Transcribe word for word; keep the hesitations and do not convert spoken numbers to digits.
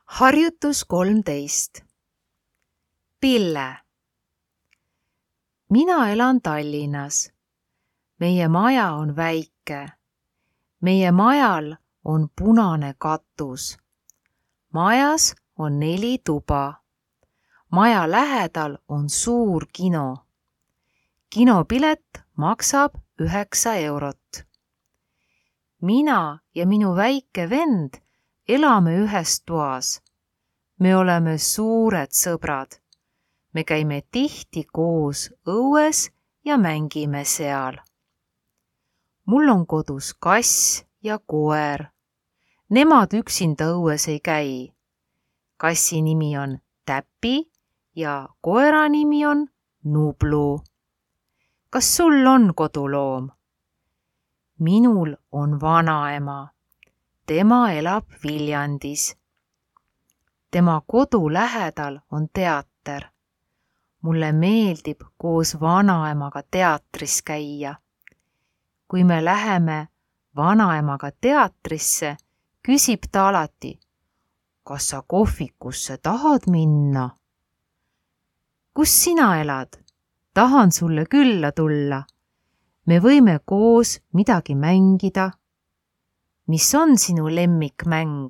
Harjutus kolmteist. Pille. Mina elan Tallinnas. Meie maja on väike. Meie majal on punane katus. Majas on neli tuba. Maja lähedal on suur kino. Kinopilet maksab üheksa eurot. Mina ja minu väike vend elame ühes toas. Me oleme suured sõbrad. Me käime tihti koos õues ja mängime seal. Mul on kodus kass ja koer. Nemad üksinda õues ei käi. Kassi nimi on Täpi ja koera nimi on Nublu. Kas sul on koduloom? Minul on vanaema. Tema elab Viljandis. Tema kodu lähedal on teater. Mulle meeldib koos vanaemaga teatris käia. Kui me läheme vanaemaga teatrisse, küsib ta alati, kas sa kohvikusse tahad minna? Kus sina elad? Tahan sulle külla tulla. Me võime koos midagi mängida. Mis on sinu lemmikmäng?